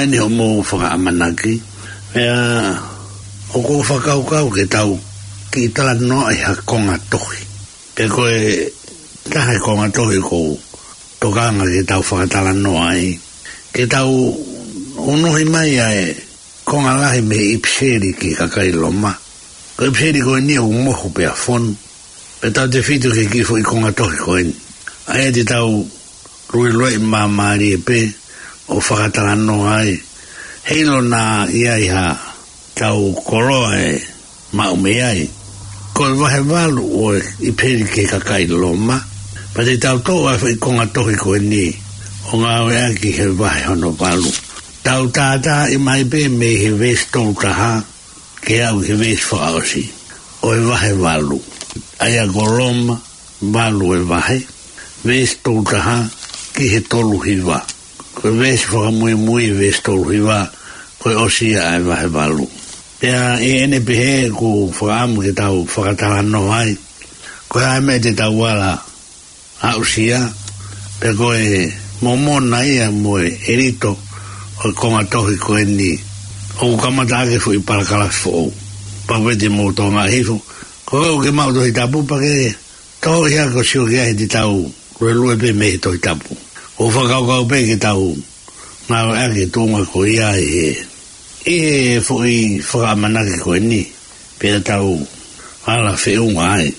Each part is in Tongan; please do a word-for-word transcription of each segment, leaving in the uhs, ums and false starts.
Eni hoʻomou fakaʻamanaki. Pea ʻoku ou fakakaukau ke tau kiʻi talanoa ʻi ha konga tohi. Pe ko e taha e konga tohi ʻoku ou tokanga ke tau fakatalanoa ai. Ke tau unuhi mai ʻa e konga lahi mei he ʻipiseli ki he kakai Loma. Ko e ʻipiseli ko eni ʻoku mohu pea fonu. Pea tau tefito ki he kiʻi foʻi konga tohi ko eni. ʻA ia te tau luelueʻi māmālie pē ʻo fakatalanoa ai. Heiʻilo naʻa ʻi ai ha tau koloa ʻe maʻu mei ai. Ko e vahe valu ʻo e ʻipiseli ki he kakai Loma. Pea te tau toʻo ʻa e foʻi konga tohi ko eni ʻo ngāueʻaki he vahe hono valu. Tau tātāʻi mai pē mei he veesi tolu taha ke aʻu ki he veesi fakaʻosi ʻo e vahe valu. ʻA ia ko Loma valu e vahe, veesi tolu taha ki he tolu hiva. Ko e veesi fakamuimui e veesi tolu hiva, ko e ʻosi ia ʻa e vahe valu. Pea ʻi heʻene pehē ʻoku ou fakaʻamu ke tau fakatalanoa ai. Ko e hā e meʻa te tau ala aʻusia, pea ko e momona ia mo e ʻelito ʻo e konga tohi ko eni ʻoku kamata ʻaki e foʻi palakalafi foʻou. Pau pē te mou tokangaʻi hifo, ko koe ʻoku ke maʻu Tohi Tapu pea ke tohoʻi hake ʻo sio ki ai he te tau luelue pē mei he Tohi Tapu. ʻOku ou fakakaukau pē ke tau ngāueʻaki e tuʻunga ko ia ʻi he, ʻi he foʻi fakaʻamanaki ko eni, pea tau ala feʻunga ai.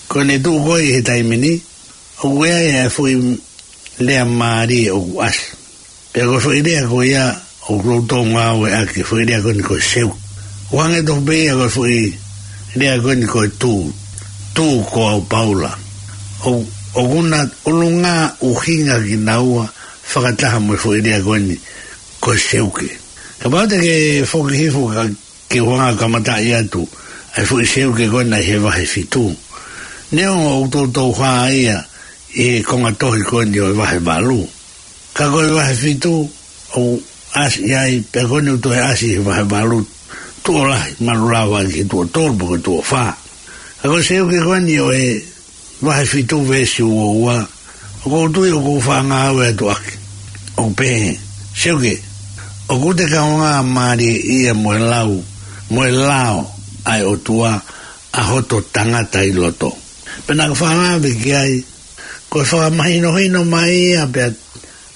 Ko ʻene tuʻu ko ē ʻi he taimi ni, ʻoku ʻi ai e foʻi lea mālie ʻoku ʻasi. Pea ko e foʻi lea ko ia ʻoku ou toutou ngāueʻaki, foʻi lea ko eni ko e seuke. ʻOku hangē tofu pē ia ko e foʻi lea ko eni ko e tū, tū ko au Paula. ʻO, ʻoku na ʻulungaanga ʻuhinga kinaua fakataha mo e foʻi lea ko eni ko e seuke. Kapau te ke foki hifo ka ke u hanga ʻo kamataʻi atu ʻa e foʻi seuke ko ena ʻi he vahe fitu. Neongo ʻoku toutou hā ia ʻi he konga tohi ko eni ʻo e vahe valu. Ka ko e vahe fitu ʻoku ʻasi ai, pea ko eni ʻoku toe ʻasi ʻi he vahe valu, tuʻo lahi, mahalo ʻe lava ki he tuʻo tolu pe ko e tuʻo fā. Ka ko e seuke ko eni ʻo e vahe fitu veesi uo ua, ʻoku ou tui ʻoku ou faʻa ngāue atu ʻaki. ʻOku pehē, seuke, ʻoku te kaungā mālie ia mo e lau, mo e lao ʻa e ʻOtua ʻa hoto tangata ʻi loto. Pea naʻa ku faʻa lave ki ai, ko e fakamahinohino mai ia pea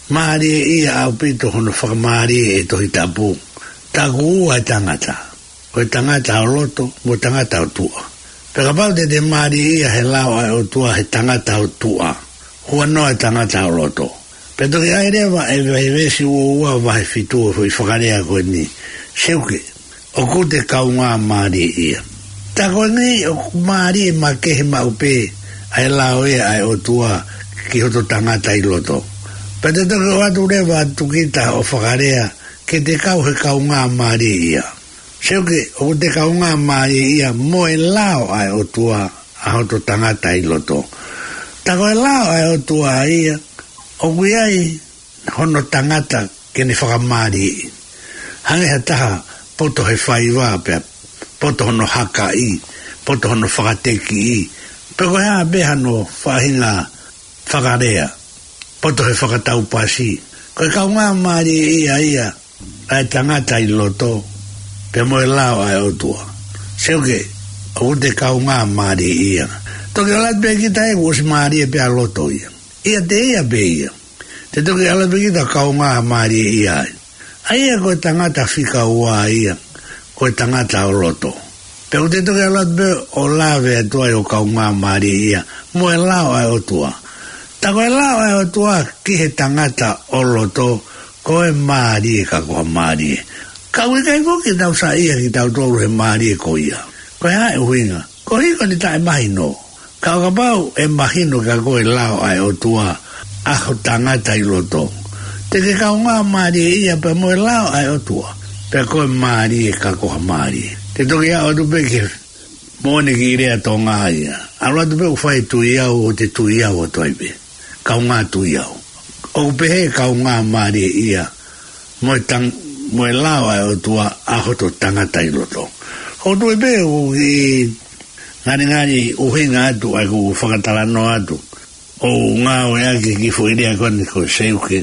mālie ia ʻaupito hono fakamālie ʻe he Tohi Tapu. Taku ua e tangata. Ko e tangata ʻo loto, mo e tangata ʻo tuʻa. Pea kapau te te mālie ia he lao ʻa e ʻOtua he tangata ʻo tuʻa, huanoa e tangata ʻo loto. Pea toki ʻai leva ʻe he veesi uo ua vahe fitu ʻo e foʻi fakalea ko eni. Seuke, ʻoku te kaungā mālie ia. Tā ko eni ʻoku mālie makehe maʻu pē ʻa e lao ia ʻa e ʻOtua ki hoto tangata ʻi loto. Pea te toki ʻoatu leva atu kita ʻo fakalea, ke te kau he kaungā mālie ia. Seuke, ʻoku te kaungā mālie ia mo e lao ʻa e ʻOtua ʻa hoto tangata ʻi loto. Tā ko e lao ʻa e ʻOtua ia, ʻoku ʻi ai hono tangata ke ne fakamālieʻi. Hangē ha taha poto he faiva pea poto hono hakaʻi, poto hono fakatekiʻi, pe ko e hā pē hano faʻahinga fakalea, poto he fakataupasi. Ko e kaungā mālie ia ia ʻa e tangata ʻi loto, pea mo e lao ʻa e ʻOtua. Seuke, ʻoku te kaungā mālie ia. Toki ʻalu atu pē kita ʻoku ʻosi mālie pē ʻa loto ia. ʻIate ia pē ia. Te toki ʻalu atu pē kita kaungā mālie ia ai. ʻA ia ko e tangata fika ua ia, ko e tangata ʻo loto. Pea ʻoku te toki ʻalu atu pē ʻo lave atu ai ʻo kaungā mālie ia mo e lao ʻa e ʻOtua. Tā ko e lao ʻa e ʻOtua ki he tangata ʻo loto, ko e mālie ka ko ha mālie. Ka ʻoku ʻikai foki ke tau saiʻia kitautolu he mālie ko ia. Ko e hā e ʻuhinga? Koeʻuhi ko ʻene taʻemahino. Ka ʻo kapau ʻe mahino kia koe e lao ʻa e ʻOtua ʻa ho tangata ʻi loto, te ke kaungā mālie ia pea mo e lao ʻa e ʻOtua, pea ko e mālie ka ko ha mālie. Te toki aʻu atu pē ki he moʻoni kiʻi lea Tonga ia. ʻAlu atu pē ʻo fai tui au, ʻo te tui au atu ai pē. Kaungā tui au. ʻOku pehē kaungā mālie ia mo e tang-, mo e lao ʻa e ʻOtua ʻa hoto tangata ʻi loto. ʻOku ou tui pē ʻoku kiʻi ngalingali ʻuhinga atu ʻa ʻeku fakatalanoa atu ʻo ngāueʻaki e kiʻi foʻi lea ko eni ko e seuke.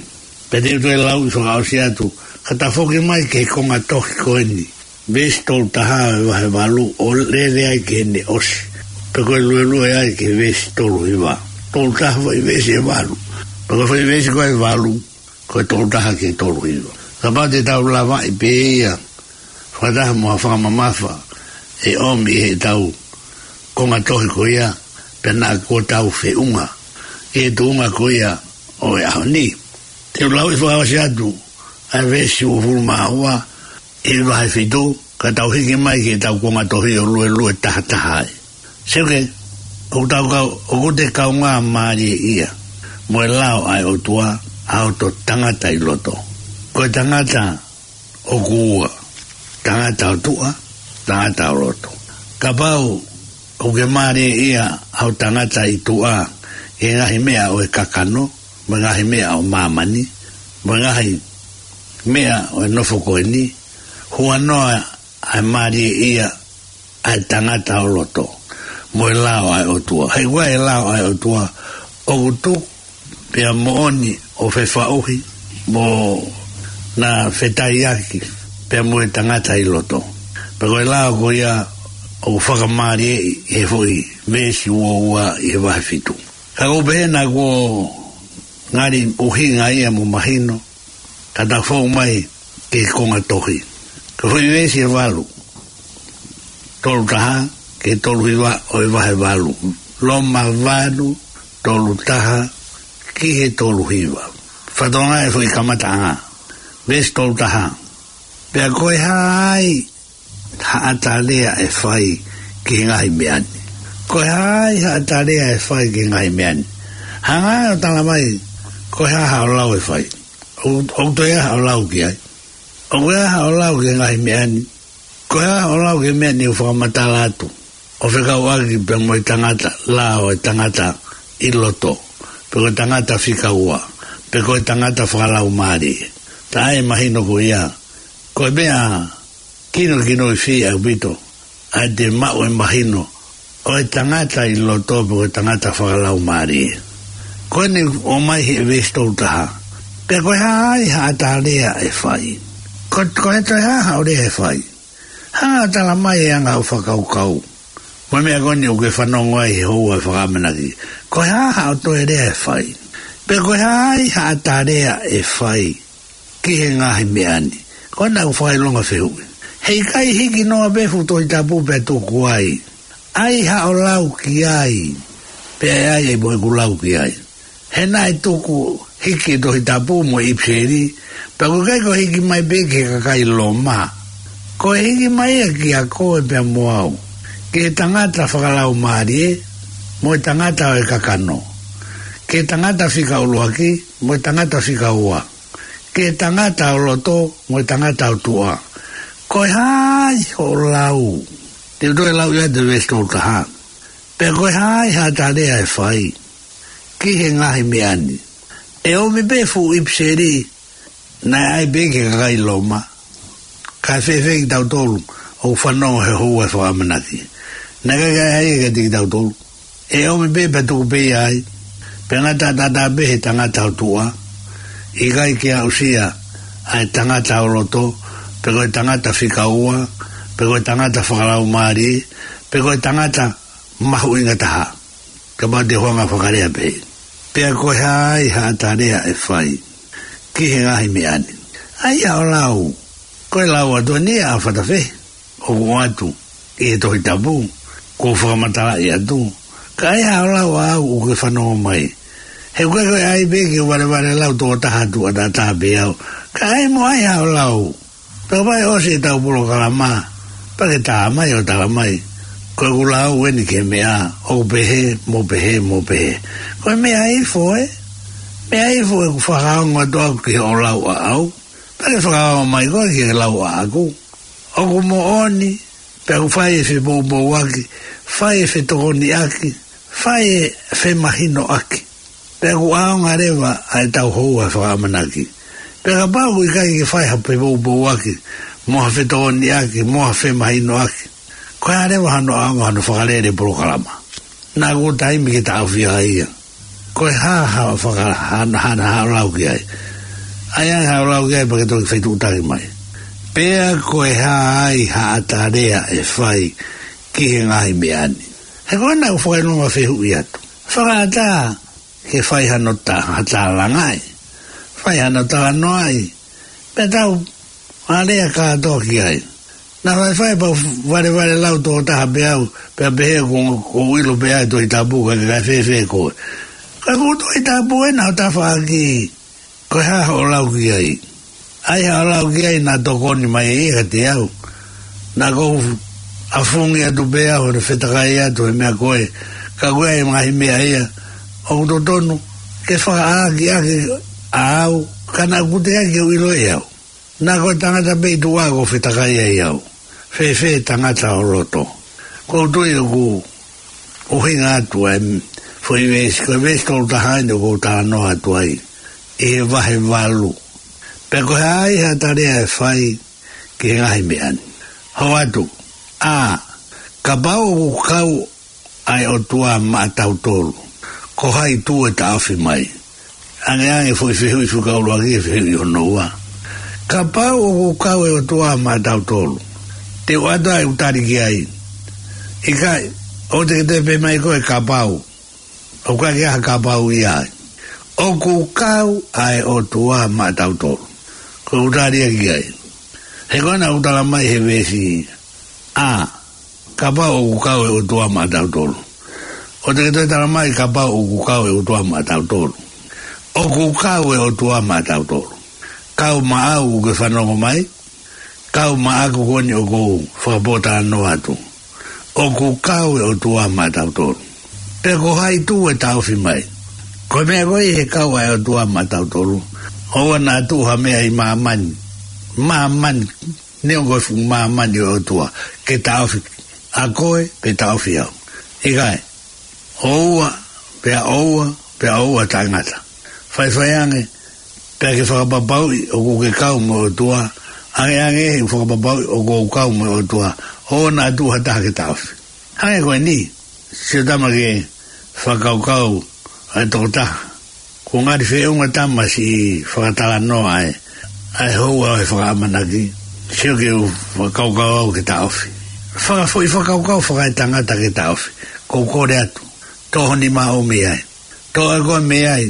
Pea te u toe lau ʻi fakaʻosi atu, Ka tau foki mai ki he konga tohi ko eni, veesi tolu taha ʻo e vahe valu, ʻo lele ai ki heʻene ʻosi. Pea ko e luelue ai ki he veesi tolu hiva. Tolu taha foʻi veesi ʻe valu. Pea ko e foʻi veesi ko ē ʻe valu, ko e tolu taha ki he tolu hiva. Kapau te tau lavaʻi pē ia, fakataha mo ha fakamamafa ʻe ʻomi ʻe heʻetau konga tohi ko ia, pea naʻa kuo tau feʻunga ʻi he tuʻunga ko ia ʻo e ʻaho ni. Te u lau ʻi fakaʻosi atu ʻa e veesi uofulu mā ua ʻi he vahe fitu, ka tau hiki mai ki heʻetau konga tohi ʻo luelue taha taha ai. Seuke, ʻoku tau kau, ʻoku te kaungā mālieʻia mo e lao ʻa e ʻOtua, ʻa hoto tangata ʻi loto. Ko e tangata ʻoku ua, tangata ʻo tuʻa, tangata ʻo loto. Kapau ʻoku ke mālieʻia ʻa ho tangata ʻi tuʻa ʻi he ngaahi meʻa ʻo e kakano, mo e ngaahi meʻa ʻo māmani, mo e ngaahi meʻa ʻo e nofo ko eni, huanoa ʻa e mālieʻia ʻa e tangata ʻo loto mo e lao ʻa e ʻOtua. He ʻoku ʻi ai e lao ʻa e ʻOtua ʻoku tuku pea moʻoni ʻo fefaʻuhi mo na fetaiaki pea mo e tangata ʻi loto. Pea ko e lao ko ia ʻoku fakamālieʻi ʻi he foʻi veesi ua ua ʻi he vahe fitu. Ka ʻoku pehē naʻa kuo ngali ʻuhinga ia mo mahino, ka tau fou mai ki he konga tohi. Ko e foʻi veesi ʻe valu, tolu taha ki he tolu hiva ʻo e vahe valu. Loma valu, tolu taha ki he tolu hiva. Fatongia e foʻi kamataʻanga. Veesi tolu taha. Pea ko e hā ai haʻata lea ʻe fai ki he ngaahi meʻa ni? Ko e hā ai haʻata lea ʻe fai ki he ngaahi meʻa ni? Hanga ʻo tala mai, ko e hā haʻo lau ʻe fai? ʻOku, ʻoku toe ʻi ai haʻo lau ki ai? ʻOku ʻi ai haʻo lau ki he ngaahi meʻa ni? Ko e hā haʻo lau ki he meʻa ni ʻoku fakamatala atu ʻo fekauʻaki pea mo e tangata, lao ʻo e tangata ʻi loto, pe ko e tangata fika ua, pe ko e tangata fakalaumālie? Taʻe mahino ko ia, ko e meʻa kinokinoʻi fie ʻaupito ʻa ʻete maʻu e mahino ʻo e tangata ʻi loto pe ko e tangata fakalaumālie. Ko eni ʻomai he veesi tolu taha. Pea ko e hā ai haʻata lea ʻe fai? Ko, ko e toe hā haʻo lea ʻe fai? Hanga ʻo tala mai e anga hoʻo fakakaukau mo e meʻa ko eni ʻoku ke fanongo ai he houa ʻo e fakaʻamanaki. Ko e hā haʻo toe lea ʻe fai? Pea ko e hā ai haʻata lea ʻe fai ki he ngaahi meʻa ni? Ko ena ʻoku fakaʻilonga fehuʻi. Heʻikai hiki noa pē fuʻu Tohi Tapu pea tuku ai. ʻAi haʻo lau ki ai, pea ʻe ʻai ʻe moe ʻeku lau ki ai. He naʻe tuku hiki e Tohi Tapu mo e ʻIpiseli, pea ʻoku ʻikai ko e hiki mai pē ki he kakai Loma. Ko e hiki mai ia kiate koe pea mo au, ki he tangata fakalaumālie mo e tangata ʻo e kakano, ki he tangata fika ʻuluaki mo e tangata fika ua, ki he tangata ʻo loto mo e tangata ʻo tuʻa. Ko e hā ai hoʻo lau? Te u toe lau ia ʻa e veesi tolu taha. Pea ko e hā ai haʻata lea ʻe fai ki he ngaahi meʻa ni? ʻE ʻomi pē fuʻu ʻIpiseli naʻe ʻai pē ki he kakai Loma. Kae fēfē kitautolu ʻoku fanongo he houa ʻo e fakaʻamanaki? Naʻe ʻikai ke ʻai ia kiate kitautolu. ʻE ʻomi pē pea tuku pē ia ai. Pea ngata ʻatā pē he tangata ʻo tuʻa. ʻIkai ke aʻusia ʻa e tangata ʻo loto, pe ko e tangata fika ua, pe ko e tangata fakalaumālie, pe ko e tangata mahuʻinga taha. Kapau te u hanga ʻo fakalea pehē. Pea ko e hā ai haʻata lea ʻe fai ki he ngaahi meʻa ni? ʻAi haʻo lau. Ko e lau atu eni ʻa Fatafehi ʻoku ʻoatu ʻi he Tohi Tapu, kuo fakamatalaʻi atu. Ka ʻai haʻo lau ʻaʻau ʻoku ke fanongo mai. He ʻoku ʻikai ko e ʻai pē ke u valevale lau toko taha atu ʻatā pē au. Ka ʻai mo ʻai haʻo lau. Pea kapau ʻe ʻosi ʻetau polokalama, pea ke tā mai ʻo tala mai, ko ʻeku lau eni ki he meʻa ʻoku pehē mo pehē mo pehē. Ko e meʻa ifo ē. Meʻa ifo ʻeku fakaongo atu ʻaʻaku ki hoʻo lau ʻaʻau. Pea ke fakaongo mai koe ki he lau ʻaʻaku. ʻOku moʻoni, pea ʻoku fai e fepoupouaki, fai e fetokoniʻaki, fai e femahinoʻaki. Pea ʻoku ʻaonga leva ʻa ʻetau houa ʻo e fakaʻamanaki. Pea kapau ʻoku ʻikai ke fai ha fepoupouaki, mo ha fetokoniʻaki, mo ha femahinoʻaki, ko e hā leva hano ʻaonga hano fakalele polokalama? Naʻa kuo taimi ke taʻofi ai ia. Ko e hā haʻo faka-, hā, hā, haʻo lau ki ai? ʻAi ange haʻo lau ki ai pea ke toki fetuʻutaki mai. Pea ko e hā ai haʻata lea ʻe fai ki he ngaahi meʻa ni? He ko ena ʻoku ou fakaʻilonga fehuʻi atu. Fakaʻatā ke fai hano tā, ha tālangaʻi. Fai hano talanoaʻi. Pea tau ʻa lea kātoa ki ai. Naʻa faifai pea u valevale lau tō taha pē au, pea pehē ko, ko u ʻilo pē ai Tohi Tapu ka ke kai fēfē koe. Ka ko Tohi Tapu ena ʻo tafaʻaki, ko e hā hoʻo lau ki ai. ʻAi haʻo lau ki ai naʻa tokoni mai ia kiate au. Naʻa ku ʻafungi atu pē au, he fetakai atu he meʻa ko ē. Ka ko e ʻai ngaahi meʻa ia, ʻoku totonu ke fakaʻakiʻaki ʻa au, ka naʻa ku teʻeki ke u ʻilo ʻe au. Naʻa ko e tangata pē ʻi tuʻa ʻoku ou fetakai ai au. Fēfē tangata ʻo loto. Ko u tui ʻoku ʻuhinga atu ʻa e foʻi veesi, ko e veesi tolu taha eni ʻoku ou talanoa atu ai. ʻI he vahe valu. Pea ko e hā ai haʻata lea ʻe fai ki he ngaahi meʻa ni? Hoko atu. A, kapau ʻoku kau ʻa e ʻOtua maʻatautolu, ko hai tū ʻe taʻofi mai? Angeange foʻi fehuʻi fika ʻuluaki, fehuʻi hono ua. Kapau ʻoku kau e ʻOtua maʻatautolu, te u ʻoatu ʻa e ʻū tali ki ai. ʻIkai, ʻoua te ke toe pehē mai koe kapau. ʻOku ʻikai ke ʻi ai ha kapau ia ai. ʻOku kau ʻa e ʻOtua maʻatautolu. Ko e ʻū tali ia ki ai. He ko ena ʻoku tala mai he veesi. A, kapau ʻoku kau e ʻOtua maʻatautolu. ʻOua te ke toe tala mai kapau ʻoku kau e ʻOtua maʻatautolu. ʻOku kau e ʻOtua maʻatautolu. Kau maʻau ʻoku ke fanongo mai. Kau maʻaku ko eni ʻoku ou fakapōtalanoa atu. ʻOku kau e ʻOtua maʻatautolu. Pea ko hai tū ʻe taʻofi mai? Ko e meʻa ko ē he kau ʻa e ʻOtua maʻatautolu. ʻOua naʻa tuʻu ha meʻa ʻi māmani. Māmani. Neongo e fuʻu māmani ʻo e ʻOtua, ke taʻofi ʻa koe, pe taʻofi au. ʻIkai, ʻoua, pea ʻoua, pea ʻoua taʻengata. Faifai ange, pea ke fakapapauʻi ʻoku ke kau mo e ʻOtua, angeange he ʻoku fakapapauʻi ʻoku ou kau mo e ʻOtua, ʻoua naʻa tuʻu ha taha ke taʻofi. Hangē ko eni, sio tama ke fakakaukau ʻa e tokotaha. Kuo ngali feʻunga tama siʻi fakatalanoa ʻa e, ʻa e houa ʻo e fakaʻamanaki, sio ke u fakakaukau au ke taʻofi. Fakafoʻi fakakaukau fakaetangata ke taʻofi. Ko u kole atu, tō ho nima ʻo mei ai. Tō ʻa e ko e mei ai,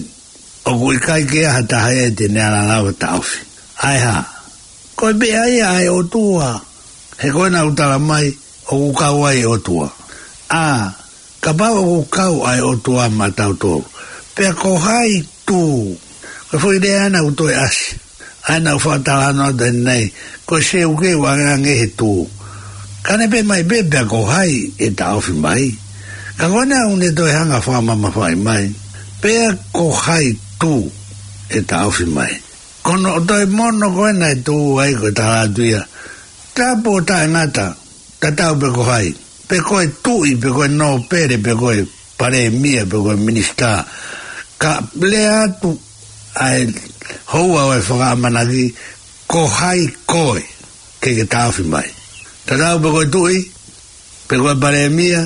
ʻoku ʻikai ke ʻi ai ha taha ia te ne ala lava taʻofi. ʻAi hā? Ko e meʻa ia ʻa e ʻOtua. He ko ena ʻoku tala mai, ʻoku kau ai e ʻOtua. A, kapau ʻoku kau ʻa e ʻOtua maʻatautolu. Pea ko hai tū. Ko e foʻi lea ena ʻoku toe ʻasi. ʻA ena ʻoku fakatalanoa atu eni, ko e seuke ʻoku angeange he tū. Ka ne pehē mai pē pea ko hai ʻe taʻofi mai. Ka ko ena ʻoku ne toe hanga fakamamafaʻi mai. Pea ko hai tū ʻe taʻofi mai. Ko hono toe mono ko ena ʻe tū ai ko e tala atu ia. Tapu ʻo taʻengata, tatau pe ko hai. Pe ko e tuʻi, pe ko e nōpele, pe ko e palēmia, pe ko e minisitā. Ka lea atu ʻa e houa ʻo e fakaʻamanaki, ko hai koe ke ke taʻofi mai. Tatau pe ko e tuʻi, pe ko e palēmia,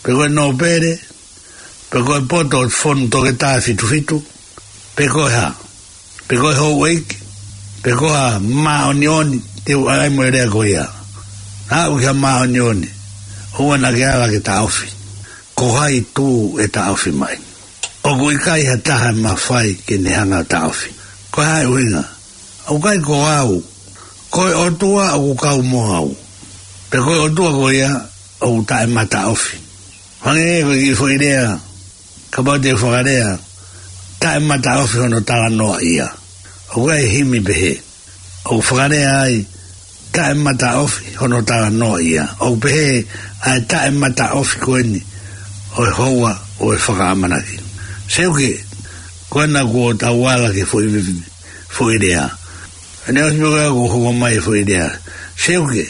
pe ko e nōpele, pe ko e poto ʻo e fonu toketā fitu fitu, pe ko e hā, pe ko e houʻeiki, pe ko ha māʻoniʻoni, te u ʻai mo e lea ko ia. Aʻu ki ha māʻoniʻoni, ʻoua naʻa ke ala ke taʻofi. Ko hai tū ʻe taʻofi mai? ʻOku ʻikai ha taha ʻe mafai ke ne hanga ʻo taʻofi. Ko e hā e ʻuhinga? ʻOku ʻikai ko au. Ko e ʻOtua ʻoku kau mo au. Pea ko e ʻOtua ko ia ʻoku taʻemataʻofi. Hangē ko e kiʻi foʻi lea, kapau te u fakalea, taʻemataʻofi hono talanoaʻia. ʻOku ʻi ai e himi pehē. ʻOku fakalea ai, taʻemataʻofi hono talanoaʻia. ʻOku pehē ʻa e taʻemataʻofi ko eni ʻo e houa ʻo e fakaʻamanaki. Seuke, ko ena kuo tau ala ki he foʻi, foʻi lea. ʻEne ʻosi pē ko ia kuo hoko mai e foʻi lea. Seuke,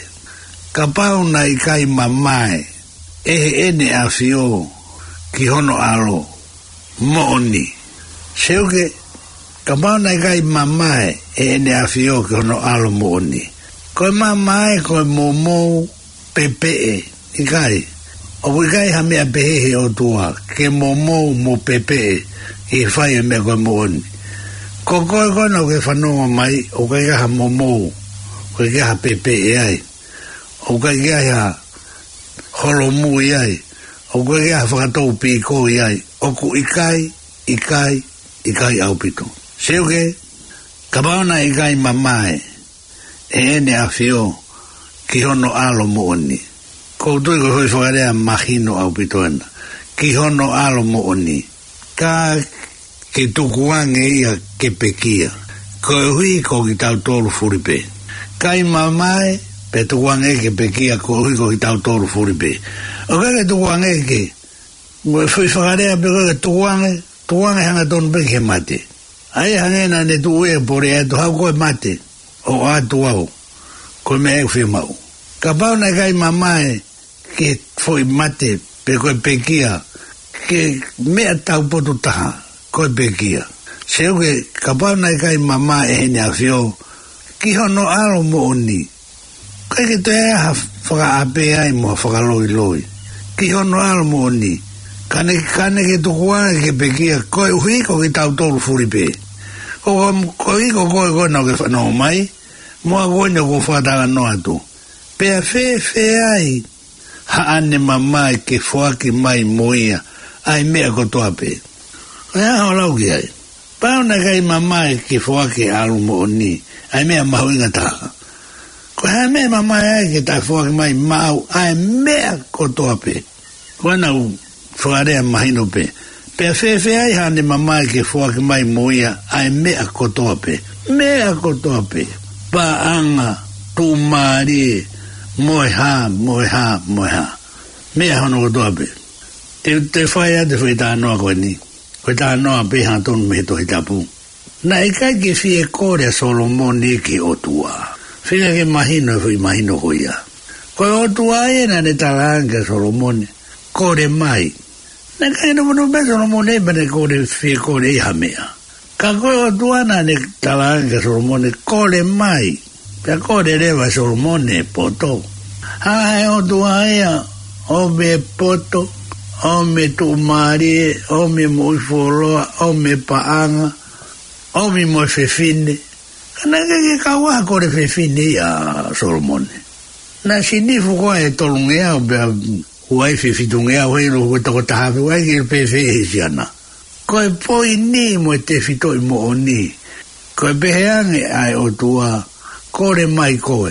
kapau naʻe ʻikai mamae ʻe Heʻene ʻAfio ki hono ʻAlo moʻoni. Seuke, kapau naʻe ʻikai mamae ʻe Heʻene ʻAfio ki hono ʻAlo moʻoni. Ko e mamae, ko e momou, pepeʻe, ʻikai. ʻOku ʻikai ha meʻa pehē he ʻOtua, ke momou mo pepeʻe, ʻi he fai e meʻa ko e moʻoni. Ko koe ko ena ʻoku ke fanongo mai, ʻoku ʻikai ke ʻi ai ha momou, ʻoku ʻikai ke ʻi ai ha pepeʻe ai, ʻoku ʻikai ke ʻi ai ha holomui ai, ʻoku ʻikai ke ʻi ai ha fakatou pīkoi ai, ʻoku ʻikai, ʻikai, ʻikai ʻaupito. Seuke, kapau naʻe ʻikai mamae ʻe ʻEne ʻAfio ki hono ʻAlo moʻoni. ʻOku ou tui ko e foʻi fakalea mahino ʻaupito ena. Ki hono ʻAlo moʻoni. Ka ke tukuange ia ke pekia, koeʻuhi ko kitautolu fulipē. ʻIkai mamae, pea tukuange ke pekia, koeʻuhi ko kitautolu fulipē. ʻOku ʻikai ke tukuange ke, mo e foʻi fakalea pē ko e tukuange, tukuange hangatonu pē ki he mate. ʻA ia hangē naʻa ne tuʻu ia ʻo pole atu, haʻu koe mate, ʻo ʻatu au, ko e meʻa ʻoku fiemaʻu. Kapau naʻe ʻikai mamae ki he foʻi mate, pe ko e pekia, ki he meʻa taupotu taha, ko e pekia. Seuke, kapau naʻe ʻikai mamae ʻe ʻEne ʻAfio ki hono ʻAlo moʻoni, ʻikai ke toe ʻi ai ha fakaʻapē ai mo ha fakaloiloi. Ki hono ʻAlo moʻoni. Ka ne, ka ne ke tukuange ke pekia, koeʻuhi ko kitautolu fulipē. Ko, ko, koeʻuhi ko koe ko ena ʻoku ke fanongo mai, mo au ko eni ʻoku ou fakatalanoa atu. Pea fēfē ai haʻane mamae ke foaki mai mo ia ʻa e meʻa kotoa pē. Ko e hā hoʻo lau ki ai? Kapau naʻe ʻikai mamae ke foaki ʻe he ʻAlo moʻoni ʻa e meʻa mahuʻinga taha, ko e hā e meʻa ʻe mamae ai ke toe foaki mai maʻau ʻa e meʻa kotoa pē? Ko ena ʻoku fakalea mahino pē. Pea fēfē ai haʻane mamae ke foaki mai mo ia ʻa e meʻa kotoa pē. Meʻa kotoa pē. Paʻanga, tuʻumālie, mo e hā, mo e hā, mo e hā. Meʻa hono kotoa pē. Te, te fai atu e foʻi talanoa ko eni. Ko e talanoa pē hangatonu mei he Tohi Tapu. Naʻe ʻikai ke fie kole ʻa Solomone ki he ʻOtua. Feinga ke mahino e foʻi mahino ko ia. Ko e ʻOtua ia naʻa ne talaange kia Solomone, kole mai. Naʻe ʻikai ke nofo pē Solomone pea ne kole, fie kole ia ha meʻa. Ka ko e ʻOtua naʻa ne talaange kia Solomone, kole mai. Pea kole leva ʻe Solomone e poto. Hanga ʻe he ʻOtua ia ʻo ʻomi e poto, ʻomi e tuʻumālie, ʻomi e moʻui fuoloa, ʻomi e paʻanga, ʻomi mo e fefine. Ka naʻe ʻikai ke kau ai ha kole fefine ia ʻa Solomone. Naʻe sinifu ko ē ʻe tolungeau pea uaifi ʻe fitungeau, heiʻilo ko e toko taha afe, ʻoku ʻikai ke pehē ʻe he siana. Ko e poini mo e tefitoʻi moʻoni. Ko e pehē ange ʻa e ʻOtua, kole mai koe.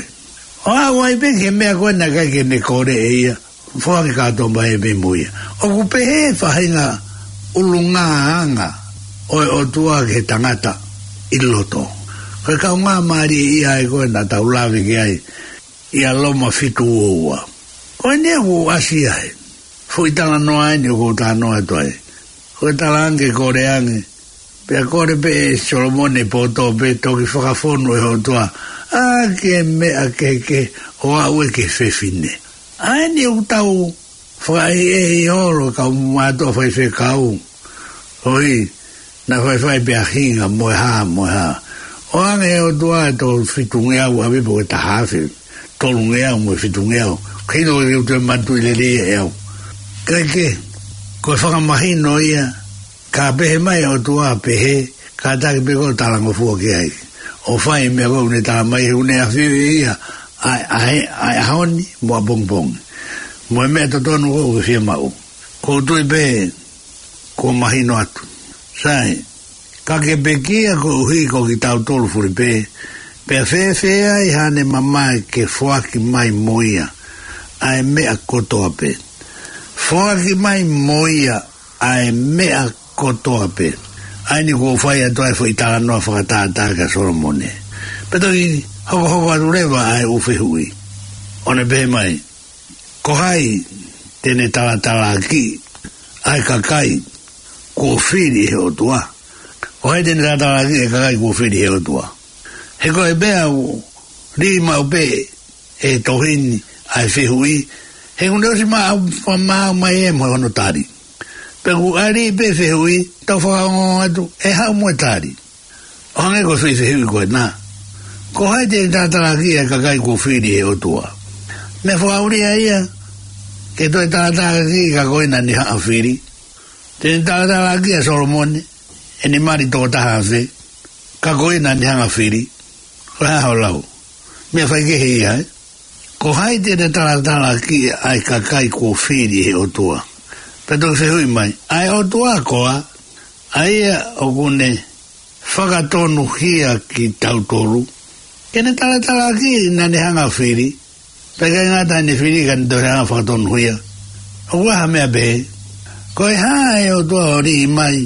ʻO aʻu ai pē ki he meʻa ko ē naʻe ʻikai ke ne kole ʻe ia, foaki kātoa mai pē mo ia. ʻOku pehē e faʻahinga ʻulungaanga ʻo e ʻOtua ki he tangata ʻi loto. Ko e kaungāmālie ia ʻa ē ko ē naʻa tau lave ki ai ʻia Loma fitu ua ua. Ko eni ʻoku ʻasi ai e foʻi talanoa eni ʻoku ou talanoa atu ai. Ko e talaange kole ange, pea kole pē ʻe Solomone e poto pea toki fakafonu ʻe he ʻOtua ʻaki e meʻa kehekehe ʻo aʻu ki he fefine. ʻA eni ʻoku tau fakaʻehiʻehi holo kau mātuʻa faifekau. ʻOi, naʻe faifai pē ʻa Hinga mo e hā, mo e hā. ʻOange ʻe he ʻOtua e toko fitungeau ʻave pe ko e taha afe, tolungeau mo e fitungeau. Kino ke u toe manatuʻi lelei ʻe au. Kae kehe, ko e fakamahino ia, ka pehē mai e ʻOtua pehē, kātaki pē koe ʻo talangofua ki ai. ʻO fai e meʻa ko ē ʻoku ne tala mai he ʻoku ne ʻafioʻi ʻe ia ʻa, ʻa, ʻa e ʻaho ni mo ʻapongipongi. Mo e meʻa totonu ko ē ʻoku ke fiemaʻu. ʻOku ou tui pē kuo mahino atu. Sai, ka ke pekia koeʻuhi ko kitautolu fulipē, pea fēfē ai haʻane mamae ke foaki mai mo ia ʻa e meʻa kotoa pē. Foaki mai mo ia ʻa e meʻa kotoa pē. ʻA eni ʻoku ou fai atu ai e foʻi talanoa fakatātā kia Solomone. Pea toki hokohoko atu leva ʻa e ʻū fehuʻi. ʻO ne pehē mai, ko hai te ne talatalaakiʻi ʻa e kakai kuo fili ʻe he ʻOtua? Ko hai te ne talatalaakiʻi ʻa e kakai kuo fili ʻe he ʻOtua? He ko e meʻa ʻoku lī maʻu pē ʻe he tohi ni ʻa e fehuʻi, he ʻoku ne ʻosi maʻu, maʻu mai ē mo hono tali. Pea ʻoku ʻali pē fehuʻi, tau fakaongoongo atu, ʻe haʻu mo e tali. ʻO hangē ko e foʻi fehuʻi ko ena. Ko hai te ne talatalaakiʻi ʻa e kakai kuo fili ʻe he ʻOtua? Meʻa fakaʻulia ia ke toe talatalaakiʻi ka ko ena ne haʻa fili. Te ne talatalaakiʻi ʻa Solomone, ʻene mali toko taha afe, Ka ko ia naʻa ne hanga fili, ko e hā hoʻo lau? Meʻa faikehe ia, ē? Ko hai te ne talatalaaki ʻa e kakai kuo fili ʻe he ʻOtua? Pea toki fehuʻi mai, ʻa e ʻOtua koā, ʻa ia ʻoku ne fakatonuhia kitautolu, ke ne talatalaaki naʻa ne hanga fili, pea ʻikai ngata ʻene fili ka ne toe hanga fakatonuhia? ʻOku ʻi ai ha meʻa pehē? Ko e hā ʻe ʻOtua ʻo liʻi mai,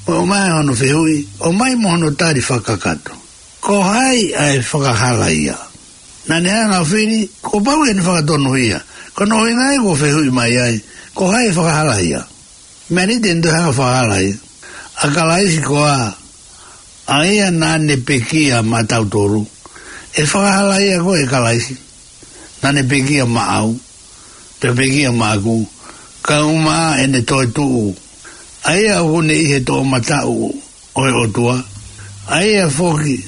mo ʻomai hono fehuʻi, ʻomai mo hono tali fakakakato? Ko hai ʻa e fakahala ia? Naʻa ne hanga fili, kuo pau ke ne fakatonuhia. Ko hono ʻuhinga ia kuo fehuʻi mai ai, ko hai ʻa e fakahala ia? Meʻa ni te ne toe hanga fakahala ia. ʻA Kalaisi koā, ʻa ia naʻa ne pekia maʻatautolu? ʻE fakahala ia koe ʻe Kalaisi? Naʻa ne pekia maʻau, pea pekia maʻaku, kae ʻumaʻā ʻene toetuʻu, ʻa ia ʻoku ne ʻi he toʻomataʻu ʻo e ʻOtua, ʻa ia foki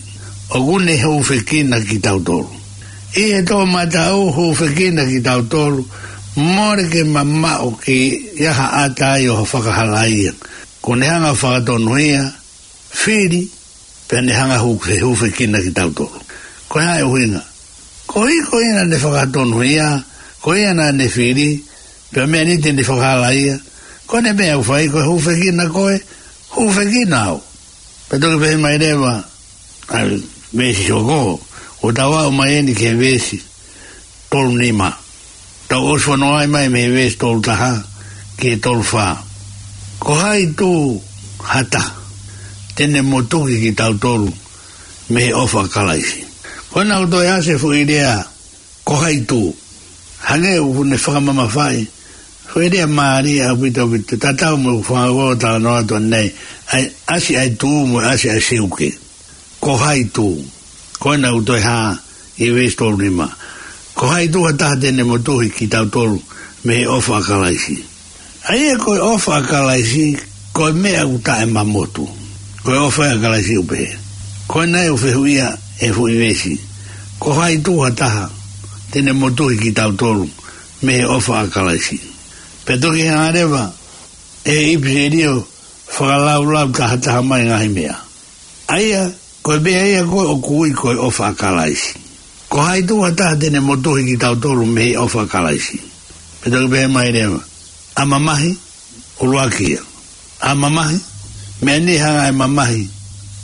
ʻoku ne hūfekina kitautolu. ʻI he toʻomataʻu hūfekina kitautolu, mole ke mamaʻo ke ʻi ai ha ʻata ai ʻo ha fakahala ia. Kuo ne hanga fakatonuhia, fili, pea ne hanga hū-, hūfekina kitautolu. Ko e hā e ʻuhinga? Koeʻuhi ko ia naʻa ne fakatonuhia, ko ia naʻa ne fili, pea meʻa ni te ne fakahala ia. Ko ʻene meʻa ʻoku fai ko e hūfekina koe, hūfekina au. Pea toki pehē mai leva ʻa e veesi hoko, ʻo tau aʻu mai eni ki he veesi tolu nima. Tau ʻosi fanongo ai mai mei he veesi tolu taha ki he tolu fā. Ko hai tū ha taha te ne motuhi kitautolu mei he ʻofa ʻa Kalaisi? Ko ena ʻoku toe ʻasi e foʻi lea, ko hai tū. Hangē ʻoku ne fakamamafaʻi, foʻi lea mālie ʻaupito ʻaupito, tatau mo e fanga ko ē talanoa atu ʻanenai, ʻa e ʻasi ʻa e tū mo e ʻasi ʻa e seuke. Ko hai tū? Ko ena ʻoku toe hā ʻi he veesi tolu nima. Ko hai tū ha taha te ne motuhi kitautolu mei he ʻofa ʻa Kalaisi? ʻA ia ko e ʻofa ʻa Kalaisi, ko e meʻa ʻoku taʻemamotu. Ko e ʻofa ʻa Kalaisi ʻoku pehē. Ko ena ʻoku fehuʻia ʻe he foʻi veesi, ko hai tū ha taha te ne motuhi kitautolu mei he ʻofa ʻa Kalaisi? Pea toki hanga leva ʻe he ʻipiseli ʻo fakalaulau tahataha mai ngaahi meʻa. ʻA ia, ko e meʻa ia ko ē ʻoku ui ko e ʻofa ʻa Kalaisi. Ko hai tū ha taha te ne motuhi kitautolu mei he ʻofa ʻa Kalaisi? Pea toki pehē mai leva, ʻa mamahi, ʻuluaki ia. ʻA mamahi, meʻa ni hanga ʻe mamahi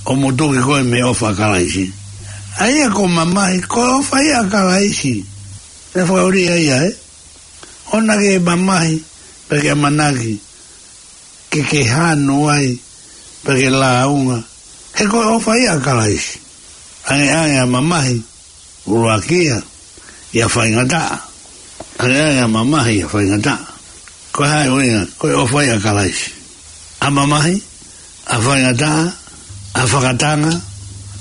ʻo motuhi koe mei he ʻofa ʻa Kalaisi. ʻA ia ko mamahi, ko e ʻofa ia ʻa Kalaisi. Meʻa fakaʻuli ia, ē? ʻOua naʻa ke mamahi, pea ke ʻamanaki ke ke hanu ai, pea ke lāunga, he ko e ʻofa ia ʻa Kalaisi. ʻAngeʻange ʻa mamahi, ʻuluaki ia, ʻi ha faingataʻa. ʻAngeʻange ʻa mamahi ʻi ha faingataʻa. Ko e hā e ʻuhinga? Ko e ʻofa ia ʻa Kalaisi. ʻA mamahi, ʻa faingataʻa, ʻa fakatanga,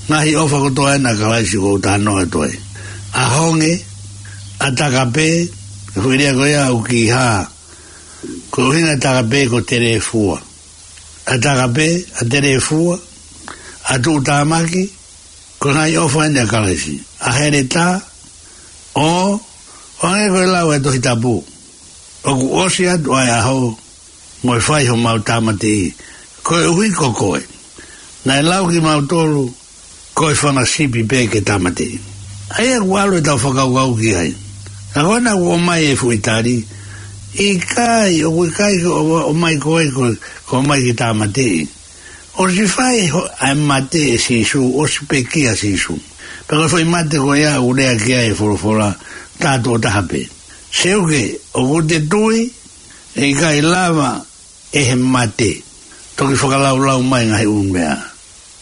ngaahi ʻofa kotoa ena ʻa Kalaisi ʻoku ou talanoa atu ai. ʻA honge, ʻa takapē, ko e foʻi lea ko ia ʻoku kei hā, ko e ʻuhinga ʻa takapē ko telefua. ʻA takapē, ʻa telefua, ʻa tuʻutāmaki, ko e ngaahi ʻofa eni ʻa Kalaisi. ʻA heletā, ʻo, ʻo hangē ko e lau ʻa e Tohi Tapu, ʻoku ʻosi atu ʻa e ʻaho mo e fai homau tāmateʻi, koeʻuhi ko koe naʻe lau kimautolu ko e fanga sipi pē ke tāmateʻi. ʻA ia ʻoku ʻalu ʻetau fakakaukau ki ai. Ka ko ena ʻoku ʻomai e foʻi tali, ʻikai, ʻoku ʻikai ke ʻo-, ʻomai koe ko, ko e ʻomai ke tāmateʻi. ʻOsi fai ho-, ʻa e mate ʻe Sīsū, ʻosi pekia ʻa Sīsū. Pea ko e foʻi mate ko ia ʻoku lea ki ai e folofola, tā tuʻo taha pē. Seuke, ʻoku te tui, ʻe ʻikai lava ʻe he mate. Toki fakalaulau mai ngaahi ʻū meʻa.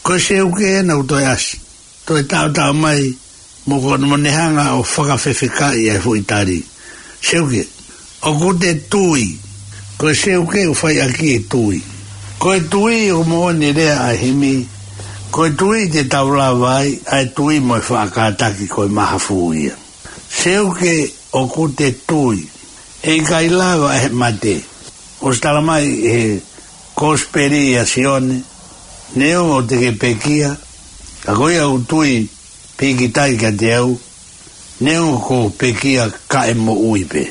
Ko e seuke ena ʻoku toe ʻasi, toe taʻotaʻo mai, mo ko, mo ne hanga ʻo fakafefekaʻi ʻa e foʻi tali. Seuke, ʻoku te tui. Ko e seuke ʻoku fai ʻaki e tui. Ko e tui ʻoku moʻoni e lea ʻa e himi, ko e tui te tau lava ai, ʻa e tui mo e faʻa kātaki ko e mahafu ia. Seuke ʻoku te tui, ʻe ʻikai lava ʻe he mate. ʻOsi tala mai ʻe he Kosipeli ʻa Sione, neongo te ke pekia, ka ko ia ʻoku tui pīkitai kiate au, neongo kuo pekia ka ʻe moʻui pē.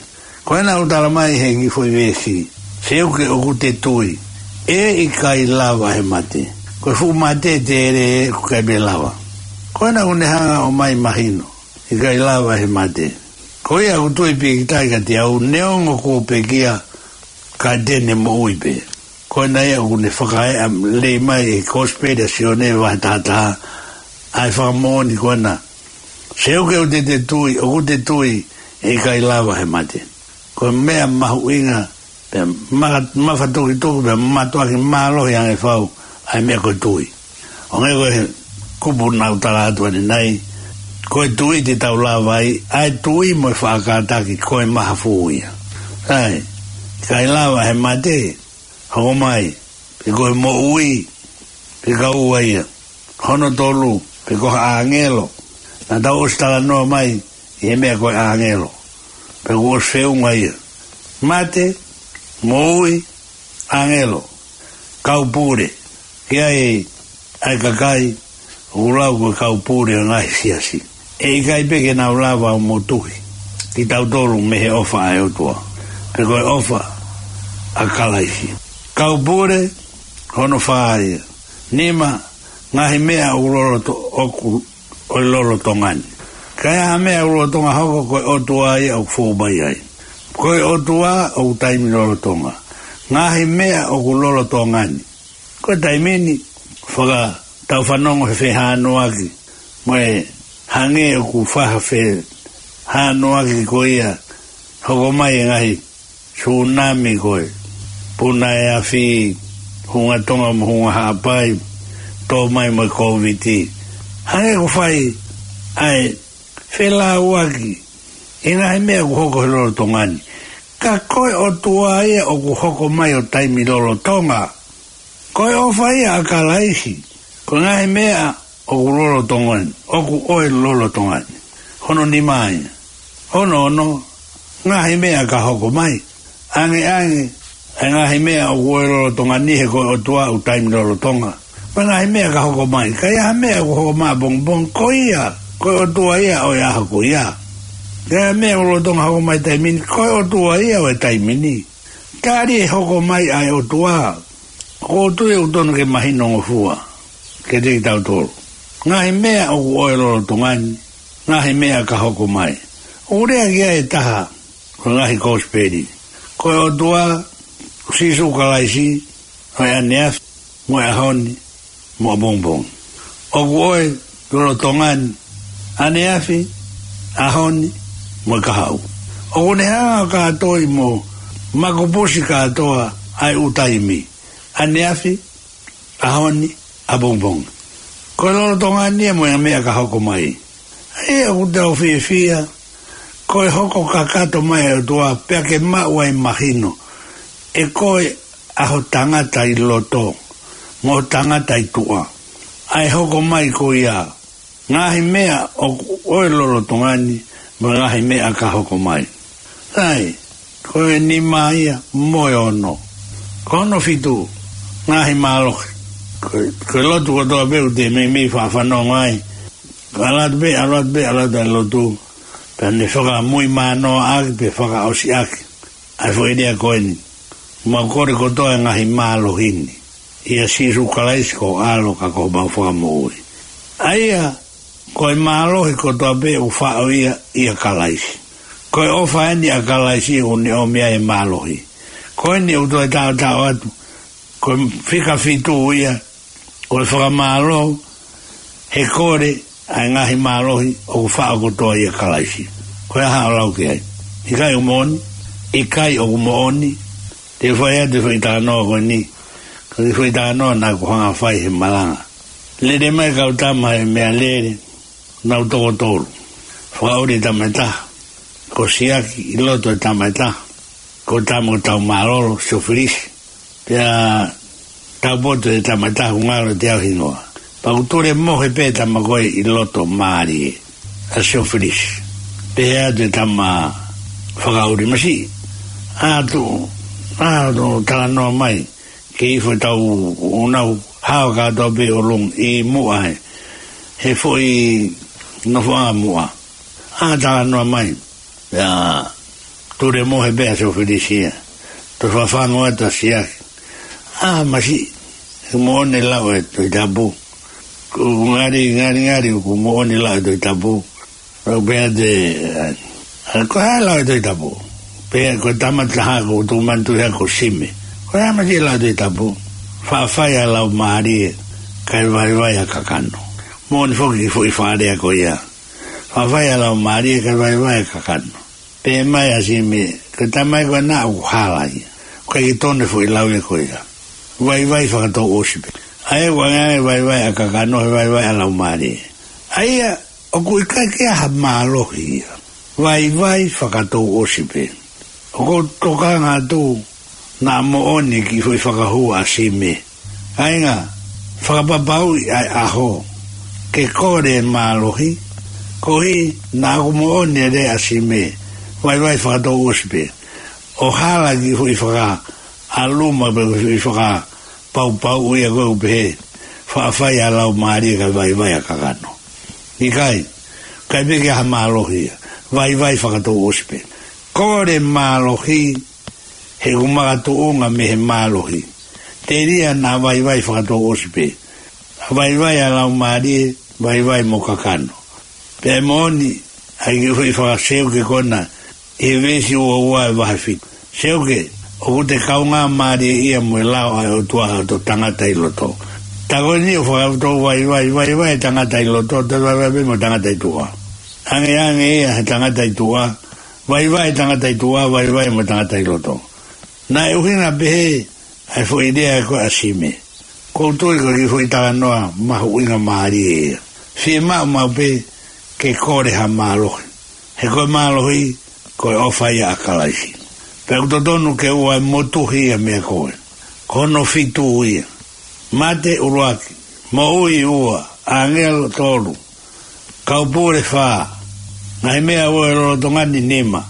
Ko ena ʻoku tala mai he kiʻi foʻi veesi, seuke ʻoku te tui, ʻe ʻikai lava ʻe he mate. Ko e fuʻu mate tele ʻoku ʻikai pē lava. Ko ena ʻoku ne hanga ʻo ʻomai mahino, ʻikai lava he mate. Ko ia ʻoku tui pīkitai kiate au, neongo kuo pekia, ka te ne moʻui pē. Ko ena ia ʻoku ne fakaeʻa lelei mai ʻi he Kosipeli ʻa Sione vahe taha taha, ʻa e fakamoʻoni ko ena. Seuke, ʻoku te, te tui, ʻoku te tui, ʻe ʻikai lava he mate. Ko e meʻa mahuʻinga, pea maka-, mafatukituki, pea mātuʻaki mālohi ange fau, ʻa e meʻa ko e tui. ʻO hangē ko e kupu naʻa ku tala atu ʻanenai, ko e tui te tau lava ai, ʻa e tui mo e faʻa kātaki ko e mahafu ia. ʻAi, ʻikai lava he mate, hoko mai, pe ko e moʻui, pe ko e ua ia. Hono tolu, pe ko ha ʻāngelo. Naʻa tau ʻosi talanoa mai, ʻi he meʻa ko e ʻāngelo. Pea kuo ʻosi feʻunga ia. Mate, moʻui, ʻāngelo, kau pule. Ki ai, ʻa e kakai, ʻoku lau ko e kau pule ʻo e ngaahi siasi. ʻE ʻikai pē ke nau lava ʻo motuhi kitautolu mei he ʻofa ʻa e ʻOtua. Pe ko e ʻofa ʻa Kalaisi. Kau pule, hono fā ia. Nima, ngaahi meʻa ʻoku loloto-, ʻoku ʻo e lolotonga ni. Ka ʻi ai ha meʻa ʻoku lolotonga hoko, ko e ʻOtua ia ʻoku fou mai ai. Ko e ʻOtua ʻoku taimi lolotonga. Ngaahi meʻa ʻoku lolotonga ni. Ko e taimi ni, faka-, tau fanongo he fehānuaki. Mo e hangē ʻoku faha fehānuaki ko ia. Hoko mai e ngaahi sunami ko e puna e afi, hunga tonga mo hunga haʻapai, tō mai mo e Kōviti. Hangē ʻoku fai ʻa e felāuaki ʻi he ngaahi meʻa ʻoku hoko he lolotonga ni. Ka ko e ʻOtua ia ʻoku hoko mai ʻo taimi lolotonga. Ko e ʻofa ia ʻa Kalaisi, ko e ngaahi meʻa ʻoku lolotonga ni, ʻoku ʻo e lolotonga ni. Hono nima ia. Hono ono, ngaahi meʻa ka hoko mai. ʻAngeʻange, ʻa e ngaahi meʻa ʻoku ʻo e lolotonga ni he ko e ʻOtua ʻoku taimi lolotonga. Ko e ngaahi meʻa ka hoko mai. Ka ʻi ai ha meʻa ʻoku hoko mai ʻapongipongi, ko ia, ko e ʻOtua ia ʻo e ʻaho ko ia. Ka ʻi ai ha meʻa ʻoku lolotonga hoko mai taimi ni, ko e ʻOtua ia ʻo e taimi ni. Tali e hoko mai ʻa e ʻOtua. ʻOku ou tui ʻoku totonu ke mahinongofua kiate kitautolu. Ngaahi meʻa ʻoku ʻo e lolotonga ni, ngaahi meʻa ka hoko mai. ʻOku lea ki ai e taha, ko e ngaahi Kosipeli. Ko e ʻOtua, Sīsū Kalaisi, ʻo e ʻaneafi, mo e ʻaho ni, mo ʻapongipongi. ʻOku ʻo e lolotonga ni, ʻaneafi, ʻaho ni, mo e kahaʻu. ʻOku ne hanga ʻo kātoi mo makupusi kātoa ʻa e ʻū taimi. ʻAneafi, ʻaho ni, ʻapongipongi. Ko e lolotonga ni ia mo e meʻa ka hoko mai. ʻA ia ʻoku tau fiefia, ko e hoko kakato mai ʻa e ʻOtua, pea ke maʻu ai mahino. ʻE ko e ʻa ho tangata ʻi loto, mo ho tangata ʻi tuʻa. ʻA e hoko mai ko ia, ngaahi meʻa ʻoku ʻo e lolotonga ni, mo e ngaahi meʻa ka hoko mai. ʻAi, ko e nima ia mo e ono. Ko hono fitu, ngaahi mālohi. Ko, ko e lotu kotoa pē ʻoku te meimei faʻa fanongo ai. ʻAlu atu pē, ʻalu atu pē, ʻalu atu ʻa e lotu. Pea ne fakamuimui mānoa ʻaki, pe fakaʻosi ʻaki. ʻA e foʻi lea ko eni. Mau kole kotoa e ngaahi mālohi ni. ʻIa Sīsū Kalaisi ko ho ʻAlo ka ko homau Fakamoʻui. ʻA ia, ko e mālohi kotoa pē ʻoku faʻo ia ʻia Kalaisi. Ko e ʻofa eni ʻa Kalaisi ʻoku ne ʻomi ai e mālohi. Ko eni ʻoku toe taʻotaʻo atu. Ko e fika fitu ia, ko e fakamālō, he kole, ʻa e ngaahi mālohi ʻoku faʻo kotoa ʻia Kalaisi. Ko e hā hoʻo lau ki ai? ʻIkai ʻoku moʻoni, ʻikai ʻoku moʻoni, te u fai atu e foʻi talanoa ko eni, ko e foʻi talanoa naʻa ku hanga fai he malanga. Lele mai kau tama he meʻalele, nau toko tolu. Fakaʻuli e tama ʻe taha, ko Siaki ʻi loto e tama ʻe taha, ko e tama ko Taumālolo, Siofilisi. Pea taupotu e tama ʻe taha ʻoku ngalo ʻiate au e hingoa. Pea ʻoku tulemohe pē e tama ko ē ʻi loto mālie, ʻa Siofilisi. Pehē atu e tama fakaʻuli masiʻi. ʻAtu, ʻatu talanoa mai, ke ifo tau ʻunau hao kātoa pē ʻolunga ʻi Muʻa he, he foʻi nofoʻanga Muʻa. ʻA talanoa mai. Pea tulemohe pē ʻa Siofilisi ia. Toe fakafanongo atu ʻa Siaki. ʻA masiʻi. ʻOku moʻoni e lau ʻa e Tohi Tapu. ʻOku ngali, ngali, ngali, ʻoku moʻoni e lau ʻa e Tohi Tapu. ʻOku pehē atu ē, ʻa, ko e hā e lau ʻa e Tohi Tapu? Pea ko e tama taha ʻoku tuʻu manatu ia ko Sime. Ko e hā mai e lau ʻa e Tohi Tapu? Faʻa fai ʻa e laumālie, kae vaivai ʻa e kakano. Moʻoni foki e foʻi fakalea ko ia. Faʻa fai ʻa e laumālie, kae vaivai ʻa e kakano. Pehē mai ʻa Sime, ko e tama ko ena ʻoku hala ia. ʻOku ʻikai ke tonu e foʻi lau ia ko ia. Vaivai fakatouʻosi pē. ʻA ia ʻoku ʻange ʻa e vaivai ʻa e kakano, he vaivai ʻa e laumālie. ʻA ia, ʻoku ʻikai ke ʻi ai ha mālohi ia. Vaivai fakatouʻosi pē. ʻOku ou tokanga atu naʻa moʻoni e kiʻi foʻi fakahū ʻa Sime. Kāinga, fakapapauʻi ʻa e ʻaho ke kole e mālohi, koeʻuhi naʻa ʻoku moʻoni e lea ʻa Sime, vaivai fakatouʻosi pē. ʻO hala e kiʻi foʻi fakaʻaluma pe foʻi fakapaupau ia ko ē ʻoku pehē, faʻa fai ʻa e laumālie kae vaivai ʻa e kakano. ʻIkai, ʻikai pē ke ʻi ai ha mālohi ia. Vaivai fakatouʻosi pē. Kole mālohi, he ʻoku makatuʻunga mei he mālohi. Telia naʻa vaivai fakatouʻosi pē. Vaivai ʻa e laumālie, vaivai mo e kakano. Pea moʻoni ʻa e kiʻi foʻi fakaseuke ko ena ʻi he veesi ua ua ʻo e vahe fitu. Seuke, ʻoku te kaungāmālieʻia mo e lao ʻa e ʻOtua ʻo tangata ʻi loto. Tā ko eni ʻoku fakatau vaivai, vaivai e tangata ʻi loto, toe vaivai pē mo e tangata ʻi tuʻa. Angeange ia he tangata ʻi tuʻa, vaivai e tangata ʻi tuʻa, vaivai mo e tangata ʻi loto. Naʻe ʻuhinga pehē ʻa e foʻi lea ko ē ʻa Sime. ʻOku ou tui ko e kiʻi foʻi talanoa mahuʻingamālie ia. Fiemaʻu maʻu pē ke kole ha mālohi. He ko e mālohi, ko e ʻofa ia ʻa Kalaisi. Pea ʻoku totonu ke ʻoua ʻe motuhi ia meia koe. Ko hono fitu ia. Mate ʻuluaki, moʻui ua, ʻāngelo tolu, kau pule fā, ngaahi meʻa ʻo e lolotonga ni nima,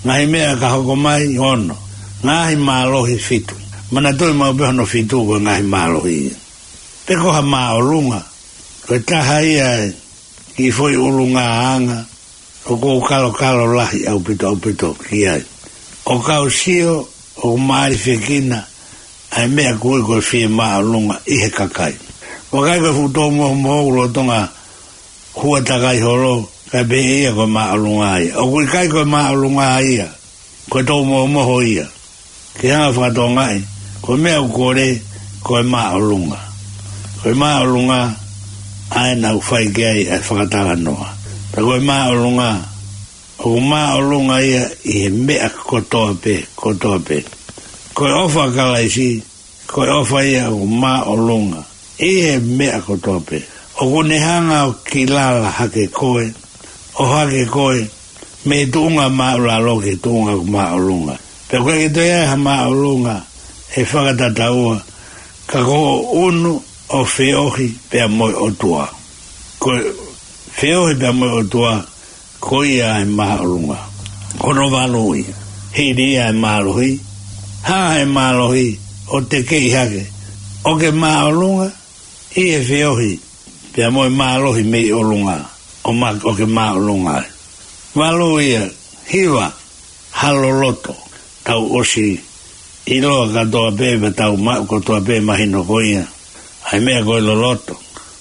ngaahi meʻa ka hoko mai ono, ngaahi mālohi fitu. Manatuʻi maʻu pē hono fitu ko e ngaahi mālohi ia. Pe ko ha māʻolunga, ko e taha ia e kiʻi foʻi ʻulungaanga ʻoku ou kalokalo lahi ʻaupito ʻaupito ki ai. ʻOku ou sio ʻoku māʻolunga fekina ʻa e meʻa ko ē ko e fiemāʻolunga ʻi he kakai. Vakai ko e fuʻu toumohomoho ʻoku lolotonga hua takai holo, kae pehē ia ko e māʻolunga ia. ʻOku ʻikai ko e māʻolunga ia ko e toumohomoho ia. Ke hanga fakatokangaʻi, ko e meʻa ʻoku kole, ko e māʻolunga. Ko e māʻolunga, ʻa ē naʻa ku fai ki ai ʻa e fakatalanoa. Pea ko e māʻolunga, ʻoku māʻolunga ia ʻi he meʻa kotoa pē, kotoa pē. Ko e ʻofa ʻa Kalaisi, ko e ʻofa ia ʻoku māʻolunga ʻi he meʻa kotoa pē. ʻOku ne hanga ʻo kilala hake koe, ʻo hake koe, mei he tuʻunga māʻulalo ki he tuʻunga ʻoku māʻolunga. Pea ʻoku ʻikai ke toe ʻi ai ha māʻolunga ʻe fakatataua, ka ko hoʻo ʻunu ʻo feohi pea mo e ʻOtua. Ko e feohi pea mo e ʻOtua, ko ia ʻa e māʻolunga. Ko hono valu ia. Hili ia ʻa e mālohi. Hā ʻa e mālohi ʻo tekeʻi hake. ʻO ke māʻolunga ʻi he feohi pea mo e mālohi mei ʻolunga. ʻO ma-, ʻo ke māʻolunga ai. Valu ia, hiva, ha loloto. Tau ʻosi ʻiloa kātoa pē, pea tau maʻu kotoa pē mahino ko ia ʻa e meʻa ko e loloto.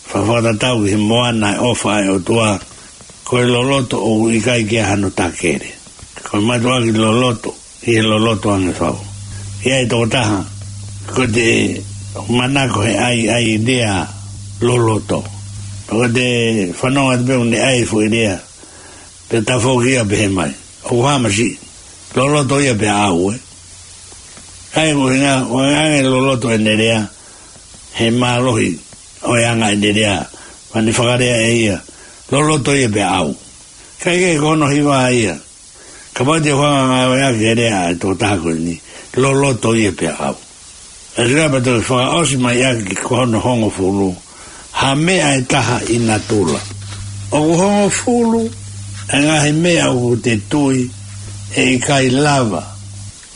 Fa-, fakatatau ki he moana ʻa e ʻofa ʻa e ʻOtua. Ko e loloto ʻoku ʻikai ke ʻi ai hano takele. Ko e mātuʻaki loloto, ʻi he loloto ange fau. ʻI ai e tokotaha, ko ʻete manako he ʻai, ʻai lea loloto. Ko ʻete fanongo atu pē ʻoku ne ʻai e foʻi lea, pea tafoki ia pehē mai, ʻoku hā masiʻi, loloto ia pea ʻau, ē. ʻA ia ko e ʻuhinga, ʻoku ʻange loloto ʻene lea, he mālohi ʻo e anga ʻene lea, pea ne fakalea ʻe ia, loloto ia pea ʻau. Kae kehe ko hono hiva ia, kapau te u hanga ʻo ngāueʻaki e lea ʻa e tokotaha ko eni, loloto ia pea ʻau. ʻE lea pea toe fakaʻosi mai ʻaki ko hono hongofulu, ha meʻa ʻe taha ʻi natula. ʻOku hongofulu e ngaahi meʻa ʻoku te tui ʻe ʻikai lava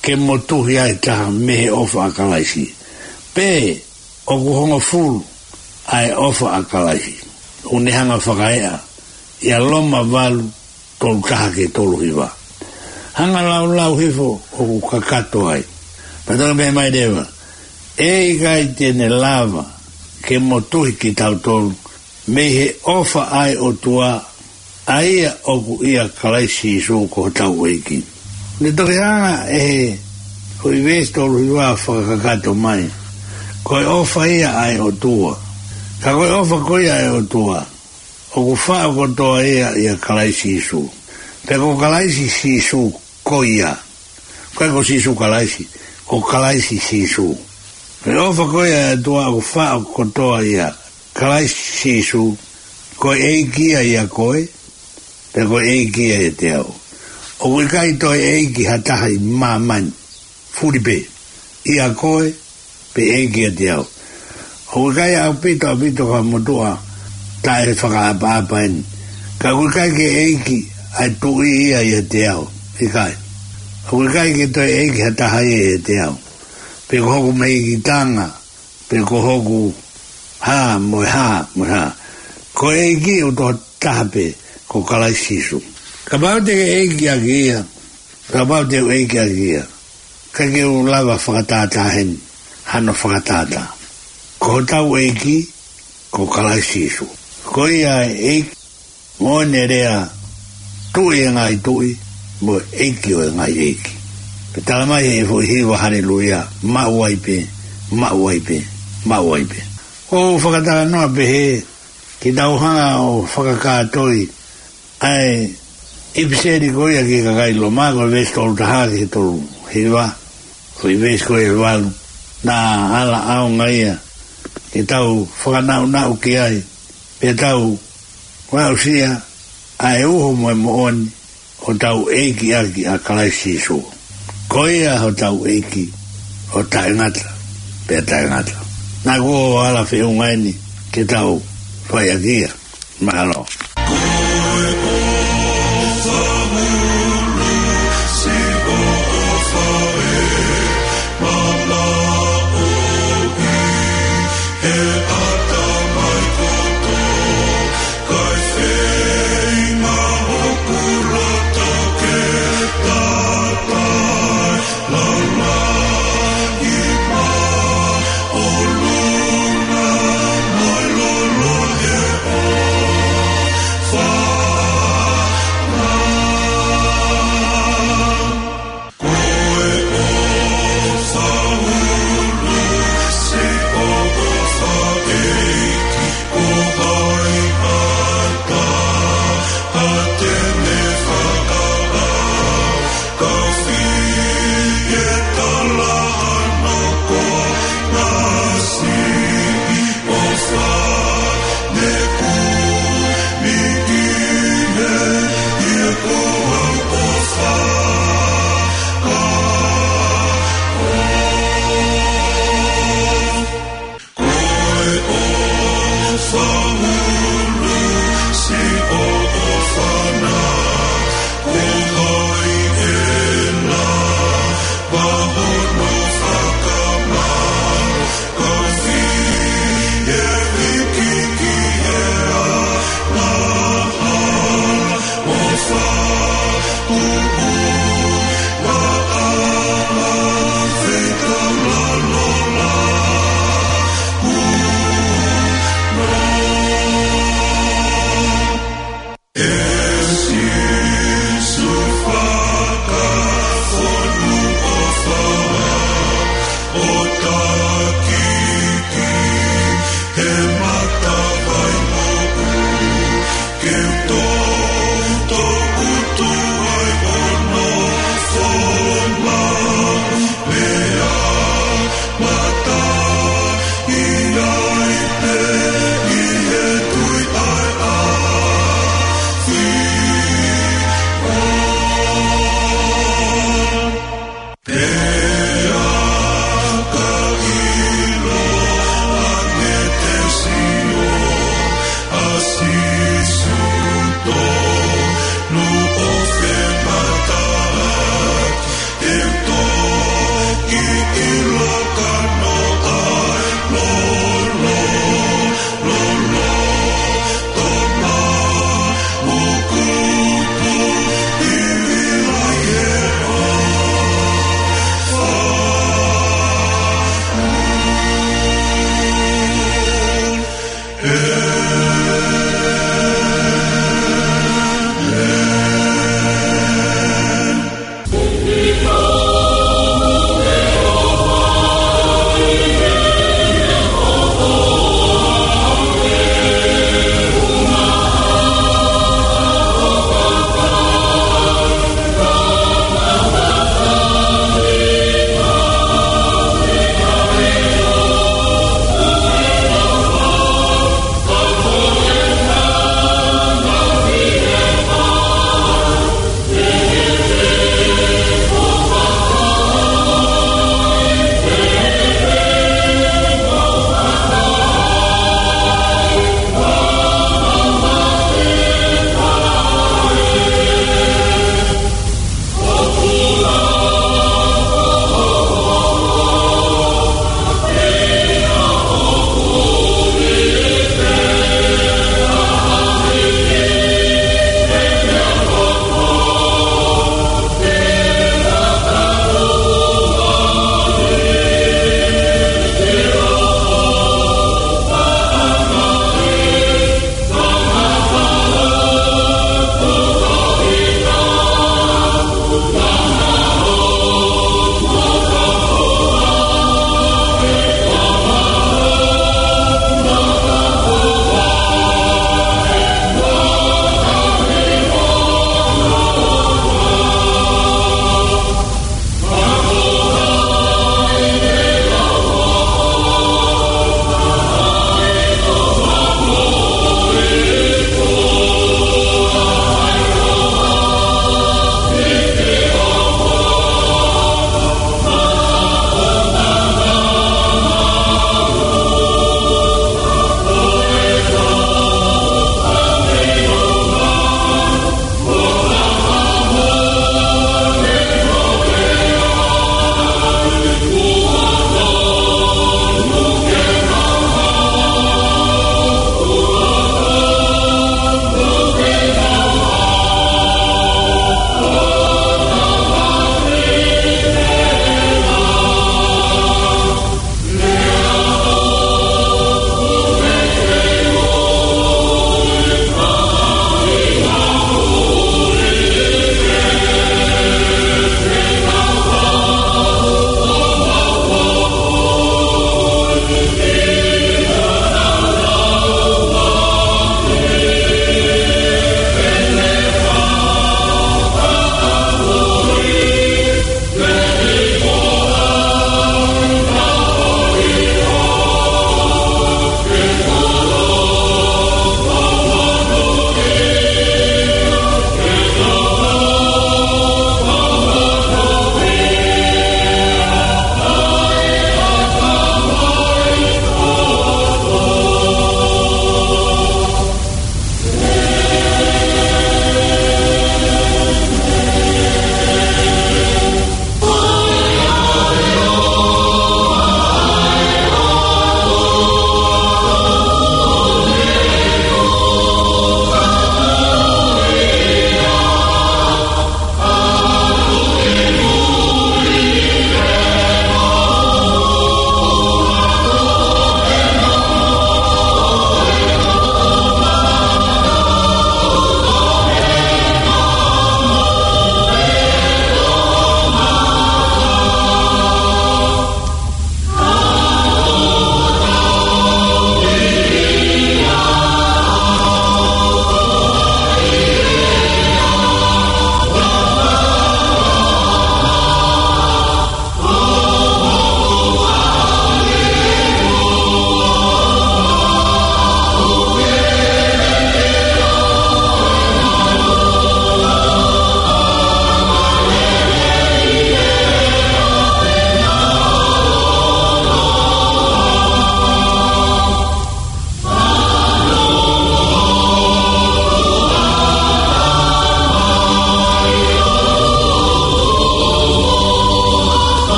ke motuhi ai ha taha mei he ʻofa ʻa Kalaisi. Pea ʻoku hongofulu ʻa e ʻofa ʻa Kalaisi. ʻOku ne hanga fakaeʻa ʻia Loma valu, tolu taha ki he tolu hiva. Hanga laulau hifo ʻoku kakato ai. Pea toki pehē mai leva, ʻE ʻikai te ne lava ke motuhi kitautolu mei he ʻofa ʻa e ʻOtua, ʻa ia ʻoku ʻia Kalaisi Sīsū ko hotau ʻEiki. Ne toki hanga ʻe he foʻi veesi tolu hiva ʻo fakakakato mai, ko e ʻofa ia ʻa e ʻOtua. Ka ko e ʻofa ko ia ʻa e ʻOtua, ʻoku faʻo kotoa ia ʻia Kalaisi Sīsū. Pea ko Kalaisi Sīsū ko ia. ʻIkai ko Sīsū Kalaisi, ko Kalaisi Sīsū. Ko e ʻofa ko ia ʻa e ʻOtua ʻoku faʻo kotoa ʻia Kalaisi Sīsū, ko e ʻEiki ia ʻia koe, pea ko e ʻEiki ia ʻiate au. ʻOku ʻikai toe ʻeiki ha taha ʻi māmani, fully pē, ʻia koe, pe ʻeiki ʻiate au. ʻOku ʻikai ʻaupito, ʻaupito ka motuʻa taʻe fakaʻapaʻapa eni. Ka ʻoku ʻikai ke ʻeiki ʻa e Tuʻi ia ʻiate au. ʻIkai. ʻOku ʻikai ke toe ʻeiki ha taha ia ʻiate au. Pe ko hoku meʻikitanga, pe ko hoku hā, mo e hā, mo e hā. Ko e ʻEiki ʻoku toko taha pē, ko Kalaisi Sīsū. Kapau te ke ʻeiki ʻaki ia, kapau te u ʻeiki ʻaki ia, ʻikai ke u lava fakatātā heni hano fakatātā. Ko hotau ʻEiki, ko Kalaisi Sīsū. Ko ia ʻEiki, mo ʻene lea, Tuʻi ʻo e ngaahi tuʻi, mo e ʻEiki ʻo e ngaahi ʻeiki. Pea tala mai he foʻi hiva, haleluia, maʻu ai pē, maʻu ai pē, maʻu ai pē. ʻOku ou fakatalanoa pehē, ke tau hanga ʻo fakakātoi ʻa e ʻipiseli ko ia ki he kakai Loma, ko e veesi tolu taha ki he tolu hiva, ko e veesi ko e valu. Naʻa ala ʻaonga ia ke tau fakanaʻunaʻu ki ai, pea tau aʻusia ʻa e uho mo e moʻoni, ʻo tau ʻeiki ʻaki ʻa Kalaisi Sīsū. Ko ia hotau ʻEiki, ʻo taʻengata pea taʻengata. Naʻa ku ʻosi ala feʻunga eni ke tau fai ʻaki ia. Mālō.